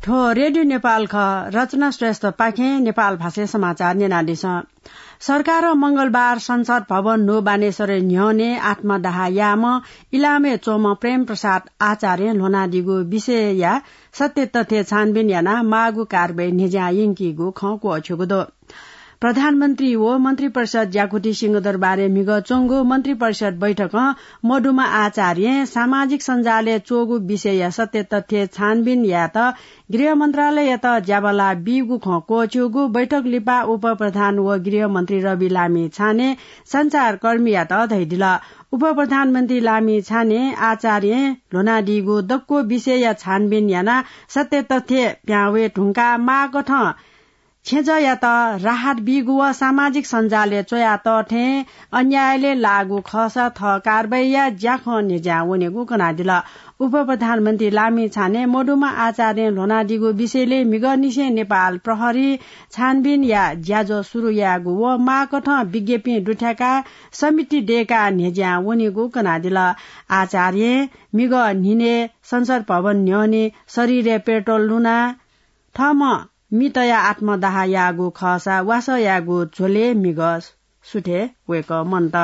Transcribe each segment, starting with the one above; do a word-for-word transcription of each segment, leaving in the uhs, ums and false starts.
थ्व रेडियो नेपाल खः। रचना श्रेष्ठपाखें नेपाल भाषाय् समाचार न्यनादिसँ। सरकारं मंगलबार संसद भवन न्हू बानेश्वरय् न्ह्यःने आत्मदाह याःम्ह इलामय् च्वंम्ह प्रेम प्रसाद आचार्यं ल्ह्वनादीगु विषयया सत्य तथ्य छानबिन यानाः माःगु कारवाही न्ह्यज्यां यंकीगु खँ क्वःछ्यूगु दु। प्रधानमन्त्री व मन्त्रिपरिषद ज्याकुथि सिंहदरबारय् म्हिगः च्वंगु मन्त्रिपरिषद बैठकं मदुम्ह आचार्यं सामाजिक सञ्जालय् च्वःगु विषयया सत्य तथ्य छानबिन यायेत गृह मन्त्रालययात ज्याबल्लाः बीगु खँ क्वःछ्यूगु बैठक लिपा उपप्रधान व गृहमन्त्री रवि लामिछानें सञ्चारकर्मीयात धयादिल। उपप्रधानमन्त्री लामिछानें आचार्यं ल्ह्वनादीगु दक्व विषयया छानबिन यानाः सत्य तथ्य प्याहां वये धुंकाः माःकथं छेँजःयात राहत बीगु व सामाजिक सञ्जालय् च्वयातः थें अन्यायलय् लाःगु खःसा थः कारवाहीया ज्याखँ न्ह्यज्यां वनेगु कनादिल। उपप्रधानमन्त्री लामिछानें मदुम्ह आचार्यं ल्ह्वनादीगु विषयलय् म्हिगःनिसें नेपाल प्रहरीं छानबिनया ज्याझ्वः सुरु यायेगु व माःकथं विज्ञप्तिं दुथ्याकाः समिति दय्काः न्ह्यज्यां वनेगु कनादिल। आचार्यं म्हिगः न्हिनय् संसद भवन न्ह्यःने शरीरय् पेट्रोल लुनाः थःम्हं मि तयाः आत्मदाह याःगु खःसा वासः यायेगु झ्वलय् म्हिगः सुथय् वय्कः मन्त।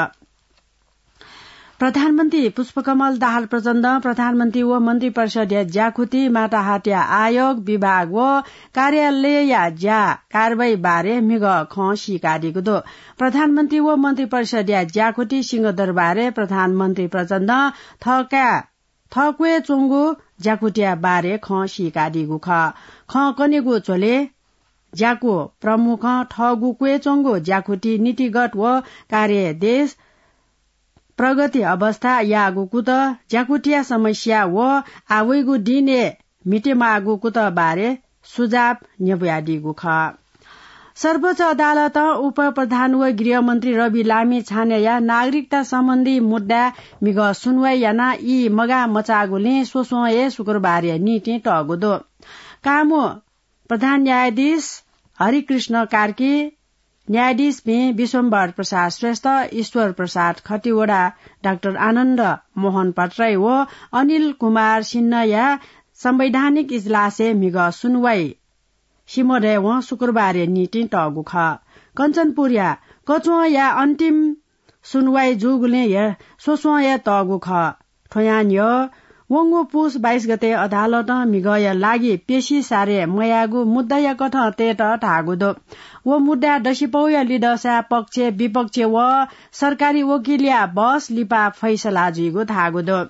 प्रधानमन्त्री पुष्पकमल दाहाल प्रचण्डं प्रधानमन्त्री व मन्त्रिपरिषदया ज्याकुथि, माताहतया आयोग, विभाग व कार्यालयया ज्या कारवाही बारे म्हिगः खँ सीकादीगु दु। प्रधानमन्त्री व मन्त्रिपरिषदया ज्याकुथि सिंहदरबारय् प्रधानमन्त्री प्रचण्डं थःकाय् थः क्वय् च्वंगु ज्याकुथिया बारे खँ सीकादीगु खः। खँ कनेगु झ्वलय् ज्याकू प्रमुखं थःगु क्वय् च्वंगु ज्याकुथि नीतिगत व कार्यदेश, प्रगति अवस्था, याःगु कुतः, ज्याकुथिया समस्या व आः वइगु दिनय् म्हितेमाःगु कुतः बारे सुझाव न्ह्यब्वयादीगु खः। सर्वोच्च अदालतं उपप्रधान व गृहमन्त्री रवि लामिछानेया नागरिकता सम्बन्धी मुद्दाय् म्हिगः सुनवाई यानाः ई मगाः मचाःगुलिं स्वस्वं हे शुक्रबारया निंतिं तःगु दु। कामु प्रधान न्यायाधीश हरिकृष्ण कार्की, न्यायाधीशपिं विश्वम्भर प्रसाद श्रेष्ठ, ईश्वर प्रसाद खतिवडा, डाक्टर आनन्द मोहन भट्टराई व अनिल कुमार सिन्हाया संवैधानिक इजलासय् म्हिगः सुनवाई सिमधय्वं शुक्रबारया निंतिं तःगु खः। कञ्चनपुरया कचुवांया अन्तिम सुनवाई जूगुलिं हे स्वस्वं हे तःगु खः। थ्वयां न्ह्यः वंगु पुस बाइस गते अदालतं म्हिगःया लागि पेशी सारे मयायेगु मुद्दाया कथं तयेत धाःगु दु। व मुद्दाय् दसिपौया लिधंसाय् पक्ष, विपक्ष व सरकारी वकिलया बहस लिपा फैसला जुइगु धाःगु दु।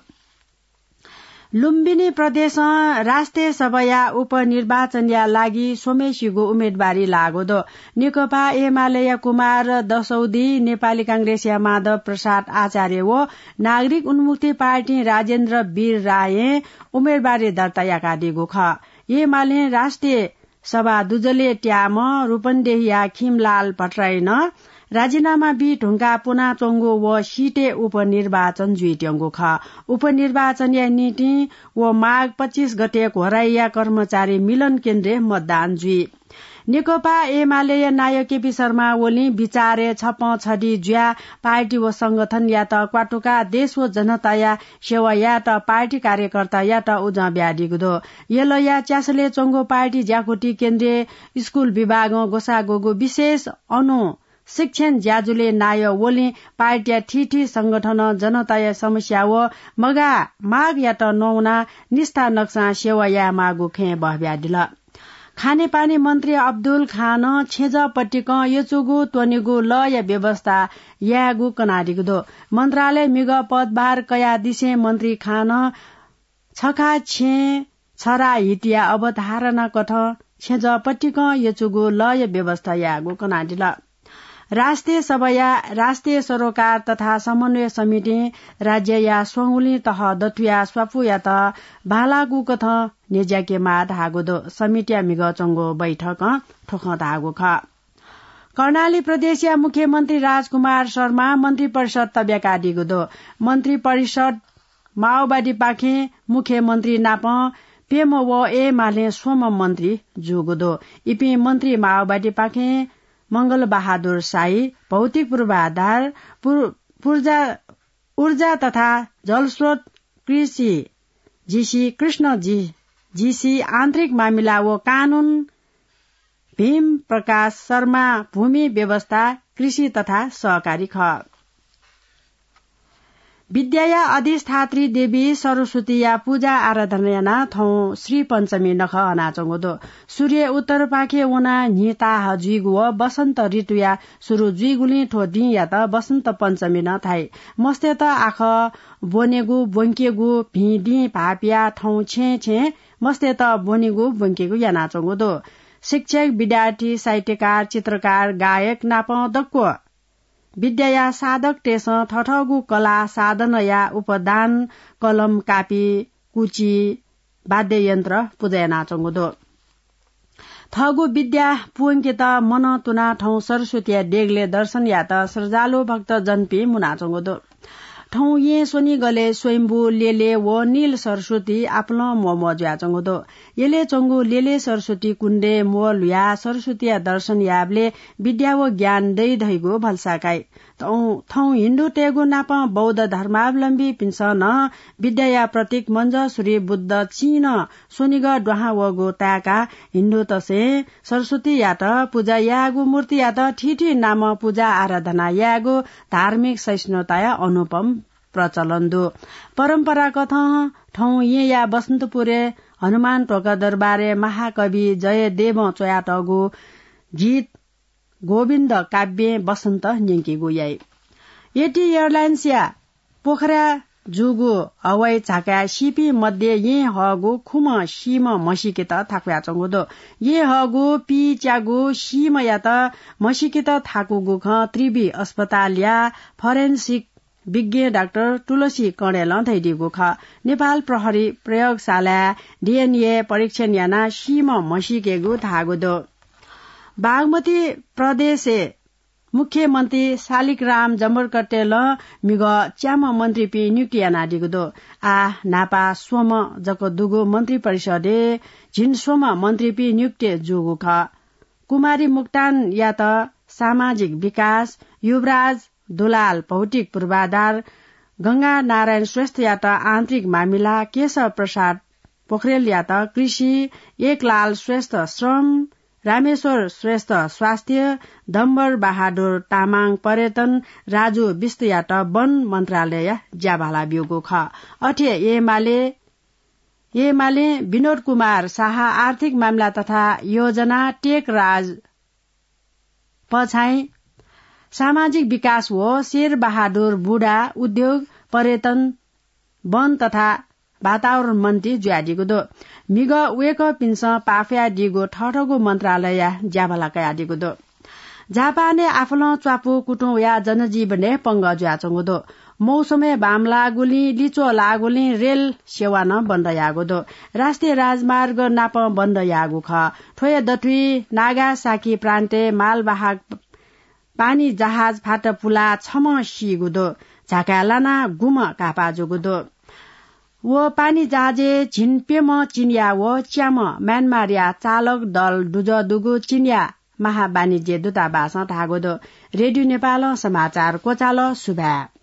लुम्बिनी प्रदेशं राष्ट्रिय सभाया उपनिर्वाचनया लागि स्वम्हेसिगु उम्मेदवारी लाःगु दु। नेकपा एमालेया कुमार दशौदी, नेपाली कांग्रेसया माधव प्रसाद आचार्य व नागरिक उन्मुक्ति पार्टीं राजेन्द्र वीर रायं उम्मेदवारी दर्ता याकादीगु खः। एमालें राष्ट्रिय सभा दुजलय् त्याःम्ह रूपन्देहीया खिमलाल भट्टराईं नं राजीनामा बी धुंकाः पुनाच्वंगु व सिटय् उपनिर्वाचन जुइत्यंगु खः। उपनिर्वाचनया निंतिं व माघ पच्चिस गते घोराइया कर्मचारी मिलन केन्द्रय् मतदान जुइ। नेकपा एमालेया नायः केपी शर्मा ओलीं बिचारय् छप्पँ छधी जुयाः पार्टी व संगठनयात क्वातुकाः देश व जनताया सेवा यायेत पार्टी कार्यकर्तायात उजं बियादीगु दु। यलया च्यासलय् च्वंगु पार्टी ज्याकुथि केन्द्रीय स्कूल विभागं ग्वसाः ग्वःगु विशेष अनु शिक्षण ज्याझ्वलय् नायः ओलीं पार्टीया थीथी संगठनं जनताया समस्या व मगाः मागयात नवानाः निष्ठा नकसां सेवा यायेमाःगु खँय् बहबियादिल। खानेपानी मन्त्री अब्दुल खानं छेँजः पतिकं यचुगु त्वनेगु लःया व्यवस्था यायेगु कनादीगु दु। मन्त्रालय म्हिगः पदभार कयादिसें मन्त्री खानं छखा छेँ छरा हितया अवधारणा कथं छेँजः पतिकं यचुगु लःया व्यवस्था यायेगु कनादिल। राष्ट्रिय सभाया राष्ट्रिय सरोकार तथा समन्वय समितिं राज्यया स्वंगुलिं तह दथुया स्वापूयात बांलाःगु कथं न्ह्यज्याकेमाः धाःगु दु। समितिया म्हिगः च्वंगु बैठकं थ्व खँ धाःगु खः। कर्णाली प्रदेशया मुख्यमन्त्री राजकुमार शर्मा मन्त्रिपरिषद तब्याकादीगु दु। मन्त्रिपरिषद माओवादीपाखें मुख्यमन्त्री नाप प्यम्ह व एमालें स्वम्ह मन्त्री जूगु दु। इपिं मन्त्री माओवादीपाखें मंगलबहादुर शाही, भौतिक पूर्वाधार, पुर-, पूर्जा, ऊर्जा तथा जलस्रोत, कृषि, जीसी कृष्ण जी, जीसी आन्तरिक मामिला व कानून, भीम प्रकाश शर्मा भूमि व्यवस्था, कृषि तथा सहकारी खः। विद्याया अधिष्ठात्री देवी सरस्वतीया पूजा आराधना यानाः थौं श्री पञ्चमी नखः हनाच्वंगु दु। सूर्य उत्तरपाखे वनाः न्हि ताहाः जुइगु व वसन्त ऋतुया सुरु जुइगुलिं थ्व दिंयात वसन्त पञ्चमी नं धाइ। मस्तय्त आखः ब्वनेगु, ब्वंकेगु, भिं दिं भाःपियाः थौं छेँय् छेँय् मस्तय्त ब्वनेगु, ब्वंकेगु यानाच्वंगु दु। शिक्षक, विद्यार्थी, साहित्यकार, चित्रकार, गायक नापं दक्व विद्याया साधकतय्सं थथःगु कला साधनया उपदान, कलम, कापी, कुची, वाद्ययन्त्र पूजा यानाच्वंगु दु। थःगु विद्या पूवंकेत मनं तुनाः थौं सरस्वतीया देगलय् दर्शन यायेत श्रद्धालु भक्तजनपिं मुनाच्वंगु दु। थौं येँ स्वनिगलय् स्वयम्भू लेले व नील सरस्वती आपालं म्वःम्वः जुयाच्वंगु दु। यलय् च्वंगु लेले सरस्वती कुण्डय् म्वः ल्हुयाः सरस्वतीया दर्शन यायेबलय् विद्या व ज्ञान दइ धइगु भलसा काइ। थौं, थौं हिन्दूतय्गु नापं बौद्ध धर्मावलम्बीपिन्सं नं विद्याया प्रतीक मञ्जःसुरी बुद्ध चिं नं स्वनिगः दुहां वःगु ताय्काः हिन्दूतय्सं सरस्वतीयात पूजा यायेगु, मूर्तियात थीथी नामं पूजा आराधना यायेगु धार्मिक सहिष्णुताया अनुपम प्रचलन दु। परम्पराकथं थौं येँया बसन्तपुरय् हनुमान ढोका दरबारय् महाकवि जयदेवं च्वयातःगु गीत गोविन्द काव्यं बसन्त न्यंकीगु याइ। एटी एयरलाइन्सया पोखरा जूगु हवाई झाकाय् सीपिं मध्ये येँ हःगु खुम्ह सीम्ह म्हसीकेत थाकुयाच्वंगु दु। येँ हःगु पीच्यागु सीम्हयात म्हसीकेत थाकूगु खँ त्रिवि अस्पतालया फरेन्सिक विज्ञ डाक्टर तुलसी कणेलं धयादीगु खः। नेपाल प्रहरी प्रयोगशालाय् डीएनए परीक्षण यानाः सीम्ह म्हसीकेगु धाःगु दु। बागमती प्रदेशय् मुख्यमन्त्री शालिग्राम जमरकट्टय्‌लं म्हिगः च्याम्ह मन्त्रीपिं नियुक्ति यानादीगु दु। आः न्हापा स्वम्ह जक दुगु मन्त्री परिषदय् झिंस्वम्ह मन्त्रीपिं नियुक्ति जूगु खः। कुमारी मोक्तानयात सामाजिक विकास, युवराज दुलाल भौतिक पूर्वाधार, गंगा नारायण श्रेष्ठयात आन्तरिक मामिला, केशव प्रसाद पोखरेलयात कृषि, एकलाल श्रेष्ठ श्रम, रामेश्वर श्रेष्ठ स्वास्थ्य, डम्बर बहादुर तामाङ पर्यटन, राजु विष्टयात वन मन्त्रालय ज्याभाला ब्यूगु खः। अथे एमाले, एमाले विनोद कुमार शाह आर्थिक मामिला तथा योजना, टेकराज पछाइँ सामाजिक विकास व शेर बहादुर बुढा उद्योग, पर्यटन, वन तथा वातावरण मन्त्री जुयादीगु दु। म्हिगः वय्कःपिन्सं पाफयादीगु थःथःगु मन्त्रालयया ज्याभाला कयादीगु दु। जापानय् आफलं च्वापु कुतुं वयाः जनजीवनय् पंगः जुयाच्वंगु दु। मौसमय् बांमलाःगुलिं, लिच्वः लाःगुलिं रेल सेवा नं बन्द याःगु दु। राष्ट्रिय राजमार्ग नापं बन्द याःगु खः। थ्वया दथुइ नागासाकी प्रान्तय् मालवाहक पानी जहाज फात पुलाः छम्ह सीगु दु। झाकाय् लानाः गुम्ह घाःपाः जूगु दु। व पानी जहाजय् झिंप्यम्ह चिनियाँ व च्याम्ह म्यानमारया चालक दल दुजः दुगु चिनियाँ महावाणिज्य दूतावासं धाःगु दु। रेडियो नेपालं समाचार क्वचाल। सुभाय्।